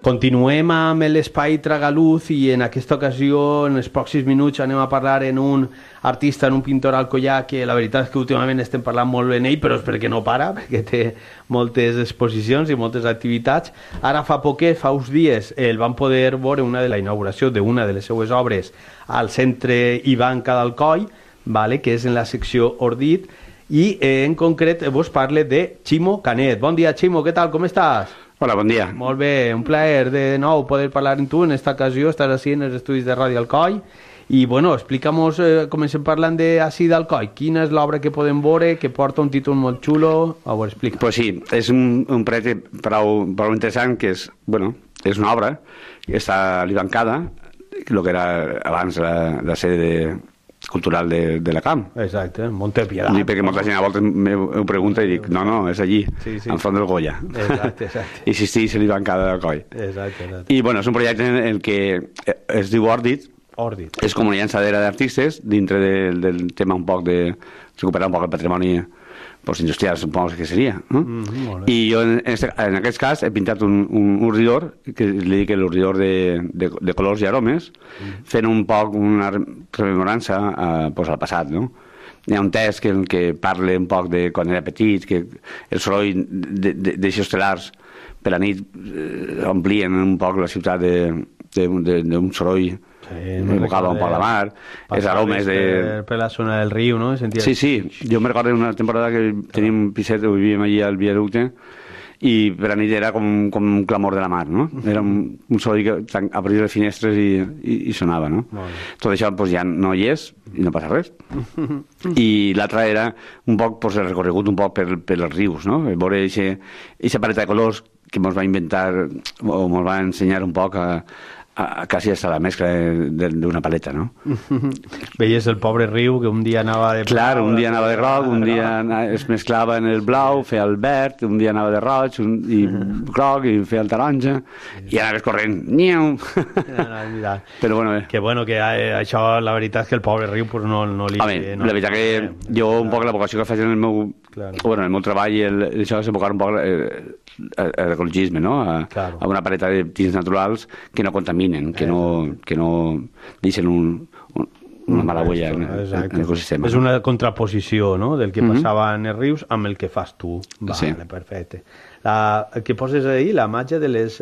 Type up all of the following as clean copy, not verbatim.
Continuem amb l'espai Tragaluz i en aquesta ocasió, en els pròxims minuts, anem a parlar en un artista, en un pintor alcoià que la veritat és que últimament estem parlant molt bé d'ell, però és perquè no para, perquè té moltes exposicions i moltes activitats. Ara fa poquet, fa uns dies, el van poder veure una de la inauguració d'una de les seues obres al centre Ivanka d'Alcoi, vale, que és en la secció Ordit, i en concret vos parle de Ximo Canet. Bon dia, Ximo, què tal, com estàs? Hola, bon dia. Molt bé, un plaer de nou poder parlar amb tu. En esta ocasió estàs així en els estudis de Ràdio Alcoi i, bueno, explica'mos, comencem parlant d'ací d'Alcoi. Quina és l'obra que podem veure, que porta un títol molt xulo? A veure, explica. Pues sí, és un projecte prou interessant, que és, bueno, és una obra que està a l'Ivancada, el que era abans la sede cultural de la Camp. Exacte, Monte Piedad. Perquè molta gent a voltes m'ho pregunta i dic, no, és allí, en front del Goya. Exacte. I existeix l'Ivancada d'Alcoi. Exacte. I, bueno, és un projecte en el que es diu Ordit. És com una llançadera d'artistes dintre del tema un poc de recuperar un poc el patrimoni industrial, suposo que seria, no? I jo en aquest cas he pintat un ordidor que li dic l'ordidor de colors i aromes, fent un poc una rememorança al passat, no? Hi ha un text que parla un poc de quan era petit, que el soroll d'aixos telars per la nit omplien un poc la ciutat d'un soroll evocava un poc la mar, els aromes per la zona del riu, no? Sí, jo me recordo una temporada que teníem un piset, vivíem allà al viaducte, i per la nit era com un clamor de la mar, no? Era un soroll que obria les finestres i sonava, no? Tot això ja no hi és i no passa res. I l'altra era un poc el recorregut un poc per els rius, no? Veure aquesta paleta de colors que ens va inventar o ens va ensenyar un poc quasi hasta la mescla d'una paleta, no? Veies el pobre riu que un dia anava de blau... Clar, un dia anava de groc, un dia es mesclava en el blau, feia el verd, un dia anava de roig i groc i feia el taronja i anaves corrent. Niu! Però bueno, bé. Que bueno, que això, la veritat és que el pobre riu no li... Home, la veritat que jo un poc la vocació que faig en el meu treball, això és enfocar un poc l'ecologisme, no? A una paleta de tints naturals que no contaminen, que no deixen una mala huella en l'ecosistema. És una contraposició, no?, del que passava en els rius amb el que fas tu. Vale, perfecte. El que poses ahir, la màgia de les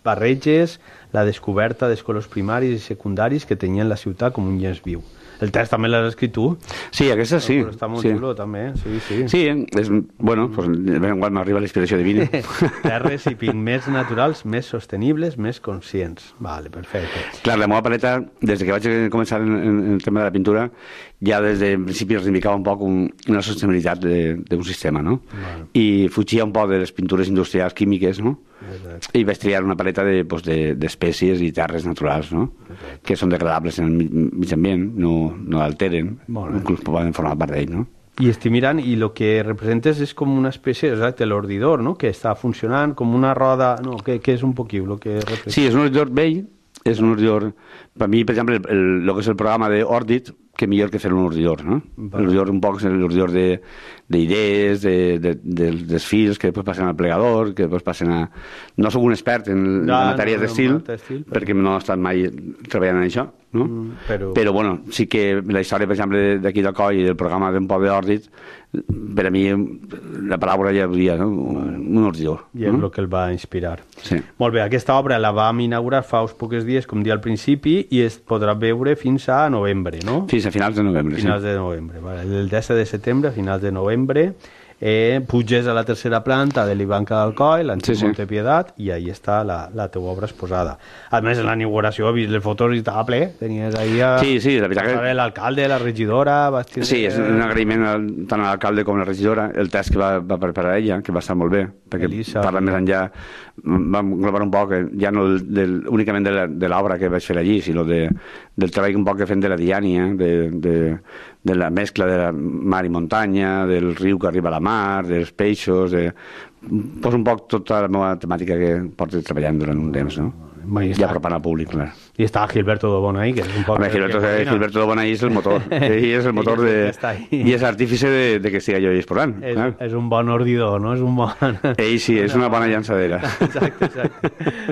barreges, la descoberta dels colors primaris i secundaris que tenien la ciutat com un llenç viu. El text també l'has escrit tu? Sí, aquesta sí. Però està molt xulo, també. Sí. Sí, bueno, de vegades m'arriba la inspiració divina. Terres i pigments naturals més sostenibles, més conscients. Vale, perfecte. Clar, la meva paleta, des que vaig començar en el tema de la pintura, ja des de principi reivindicava un poc una sostenibilitat d'un sistema, no? I fugia un poc de les pintures industrials químiques, no? I vaig triar una paleta d'espècies i terres naturals, no? Que són degradables en el mig ambient, no alteren, inclús poden formar part d'ell, no? I estic mirant, i el que representes és com una espècie, exacte, l'ordidor, no?, que està funcionant com una roda, no, que és un poquiu el que representa. Sí, és un ordidor vell, és un ordidor, per mi, per exemple, el que és el programa d'Ordit, que millor que fer un ordidor, no? L'ordidor un poc és l'ordidor d'idees, dels fils que després passen al plegador, que després passen a... No soc un expert en matèries d'estil, perquè no he estat mai treballant en això, no? Però, bueno, sí que la història, per exemple, d'aquí d'Alcoi i del programa d'un poble d'Ordit, per a mi la paraula ja diria, no? Un ordidor. I és el que el va inspirar. Sí. Molt bé, aquesta obra la vam inaugurar fa uns pocs dies, com dia al principi, i es podrà veure fins a novembre, no? Fins a finals de novembre, finals de novembre, vale. El 10 de setembre, finals de novembre, puges a la tercera planta de l'Ivanka d'Alcoi, l'antic Monte Piedad, i ahí està la teua obra exposada. A més, en la inauguració he vist les fotos i estava ple, tenies ahí la veritat que... l'alcalde, la regidora... Sí, és un agraïment tant a l'alcalde com a la regidora, el text que va preparar ella, que va estar molt bé, perquè parla més enllà, vam englobar un poc, ja no únicament de l'obra que vaig fer allí, sinó del treball un poc que fem de la diània, de la mescla de la mar i muntanya, del riu que arriba a la mar, dels peixos... Poso un poc tota la meva temàtica que porto treballant durant un temps, no? I apropant al públic, clar. I està Gilberto de Bonai, que és un poc... Home, Gilberto de Bonai és el motor. Ell és el motor i és artífice de que siga jo exposant. És un bon ordidor, no? És un bon... Ell sí, és una bona llançadera. Exacte.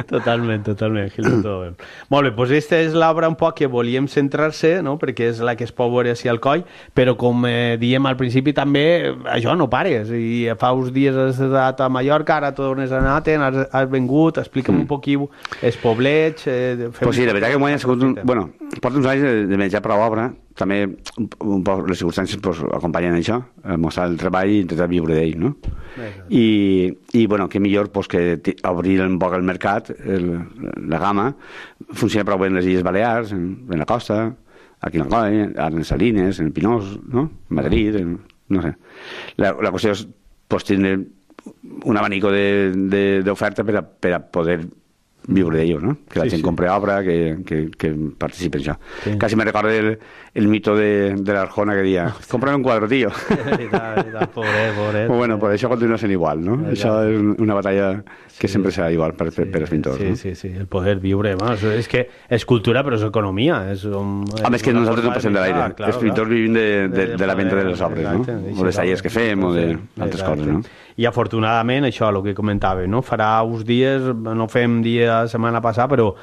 Totalment, Gilberto de Bonai. Molt bé, doncs aquesta és l'obra un poc que volíem centrar-se, no? Perquè és la que es pot veure així al coll, però com diem al principi també, això no pares. I fa uns dies has estat a Mallorca, ara tornes a anar, has vengut, explica'm un poquillo els poblets... Pues sí, la veritat que m'ho ha sigut bueno, porto uns anys de menjar per l'obra, també un poc les circumstàncies pues, acompanyen això, mostrar el treball i intentar viure d'ell, no? I bueno, que millor pues, que obrir un poc el mercat, la gamma, funciona prou bé en les Illes Balears, en la costa, aquí en Alcoi, ara en Salines, en Pinós, no? En Madrid, no sé. La qüestió és pues, tindre un abanico d'oferta per a poder viure d'ello, ¿no? Que la gent compre obra, que participe en això. Sí. Casi me recorda el mito de l'Arjona que deia, cómprame un quadro, tío. Pobret. Bueno, pues això continua sent igual, no? Això és una batalla que sempre serà igual per els pintors. Sí, el poder viure, és que és cultura però és economia. Home, és que nosaltres no passem de l'aire. Els pintors vivim de la venda de les obres, no? O dels tallers que fem, o d'altres coses, no? I afortunadament això, el que comentava, no? Farà uns dies, no fem dia la setmana passada, però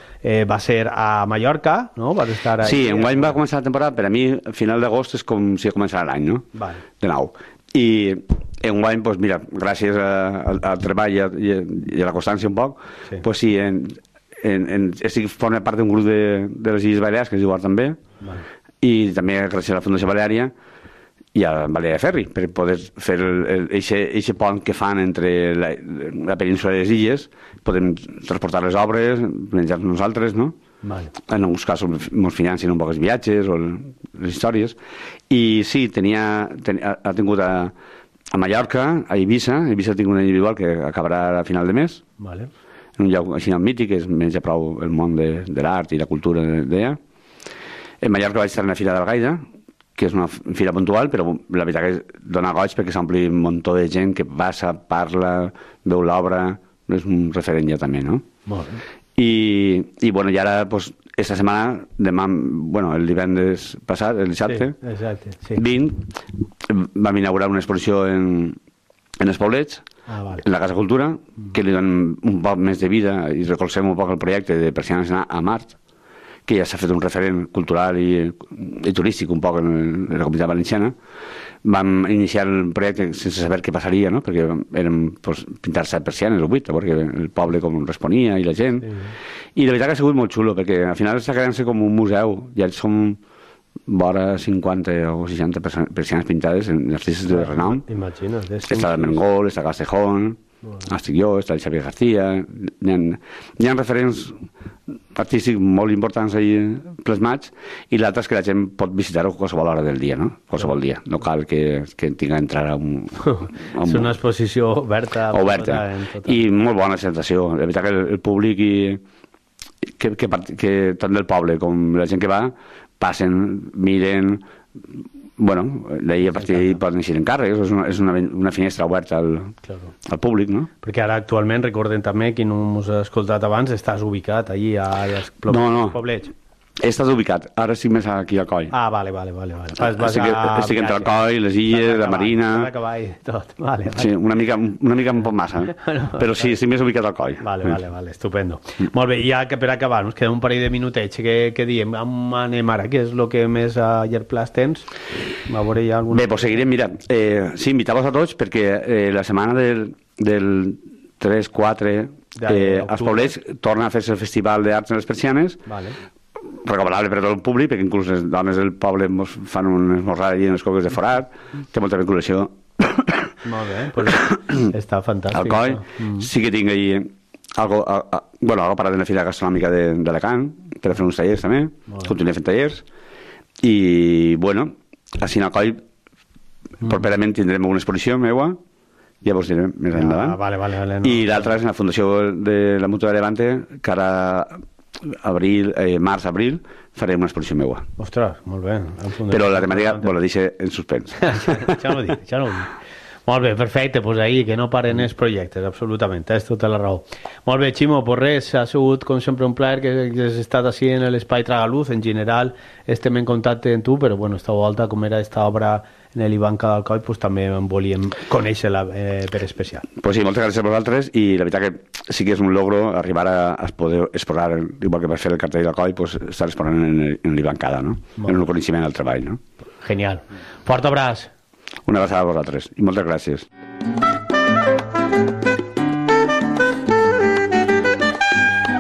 va ser a Mallorca, no? Vas estar ahí. Sí, enguany va començar la temporada, per a mi, a final d'agost és com si començara l'any, no? Vale. De nou. I enguany, doncs mira, gràcies al treball i a la constància un poc, doncs sí, estic formant part d'un grup de les Illes Balears, que es diu Art també, i també gràcies a la Fundació Baleària, i a Balear Ferri, per poder fer aquest pont que fan entre la península i les illes, podem transportar les obres, menjar-nos nosaltres, no? Vale. En alguns casos ens financen un poc els viatges o les històries. I sí, ha tingut a Mallorca, a Eivissa ha tingut una individual que acabarà a final de mes, vale. En un lloc així mític, que és menja prou el món de l'art i la cultura d'allà. En Mallorca vaig estar en la Fira d'Algaida, que és una fira puntual, però la veritat que dona goig perquè s'ompli un muntó de gent que passa, parla, veu l'obra, és un referent ja també, no? Molt bé. I bueno, i ara, pues, esta setmana, demà, bueno, el divendres passat, el dissabte, sí. 20, vam inaugurar una exposició en els poblets, vale. En la Casa Cultura, que li donen un poc més de vida i recolzem un poc el projecte de Persianes a Mart, que ja s'ha fet un referent cultural i turístic un poc en la Comunitat Valenciana. Vam iniciar el projecte sense saber què passaria, no? Perquè érem pues, pintar-se persianes o 8, perquè el poble com responia i la gent. Sí. I la veritat que ha sigut molt xulo, perquè al final està quedant-se com un museu. Ja som vora 50 o 60 persianes pintades en artistes de renom. Imagina't. Està el Mengol, està Castejón, estic jo, està el Xavier García. Hi ha referents artístics molt importants ahí plasmats, i l'altre és que la gent pot visitar-ho a qualsevol hora del dia, no? Qualsevol dia, no cal que tinga d'entrar a un... És una exposició oberta. I molt bona sensació. La veritat que el públic que tant del poble com la gent que va passen, miren, bueno, d'ahir a partir d'ahir poden eixir encàrrecs, és una finestra oberta al públic, no? Perquè ara actualment, recordem també, qui no us ha escoltat abans, estàs ubicat allí als poblets. He estat ubicat, ara estic més aquí a Coll. Vale. Estic entre el Coll, les illes, la Marina... Tot. Vale. Sí, una mica un poc massa, però sí, estic més ubicat al Coll. Vale, estupendo. Molt bé, i ja que per acabar, nos queda un parell de minutets que diem, on anem ara? Què és el que més a llarg plaç tens? Bé, doncs seguirem, mira, sí, invitar-vos a tots perquè la setmana del 3-4 als poblets torna a fer-se el Festival d'Arts en les Persianes. Vale. Recomanable per a tot el públic, perquè inclús les dones del poble fan un esmorzar allà en les coques de Forat, té molta vinculació. Molt bé, pues està fantàstic. Al Coll, sí que tinc ahí algo parat en la Fira Gastronòmica d'Alacant, per a fer uns tallers també, continuem fent tallers, i bueno, així al Coll, properament tindrem una exposició meua, ja vos diré més endavant. Vale, I l'altra és en la Fundació de la Mútua de Levante, que ara març-abril farem una exposició meua. Ostres, molt bé. Però la temàtica la deixo en suspens. Ja no ho dic. Molt bé, perfecte, doncs ahir, que no paren els projectes, absolutament, tens tota la raó. Molt bé, Ximo, pues res, ha sigut com sempre un plaer que has estat així en l'Espai Tragaluz, en general estem en contacte amb tu, però bueno, esta volta, com era esta obra en l'Ivanca d'Alcoi, pues també en volíem conèixer-la per especial. Pues sí, moltes gràcies a vosaltres, i la veritat que sí que és un logro arribar a poder exposar, igual que per fer el cartell d'Alcoi, pues estar exposant en l'Ivancada, no? En el coneixement del treball, no? Genial. Fort abraç. Una abraçada a vosaltres i moltes gràcies.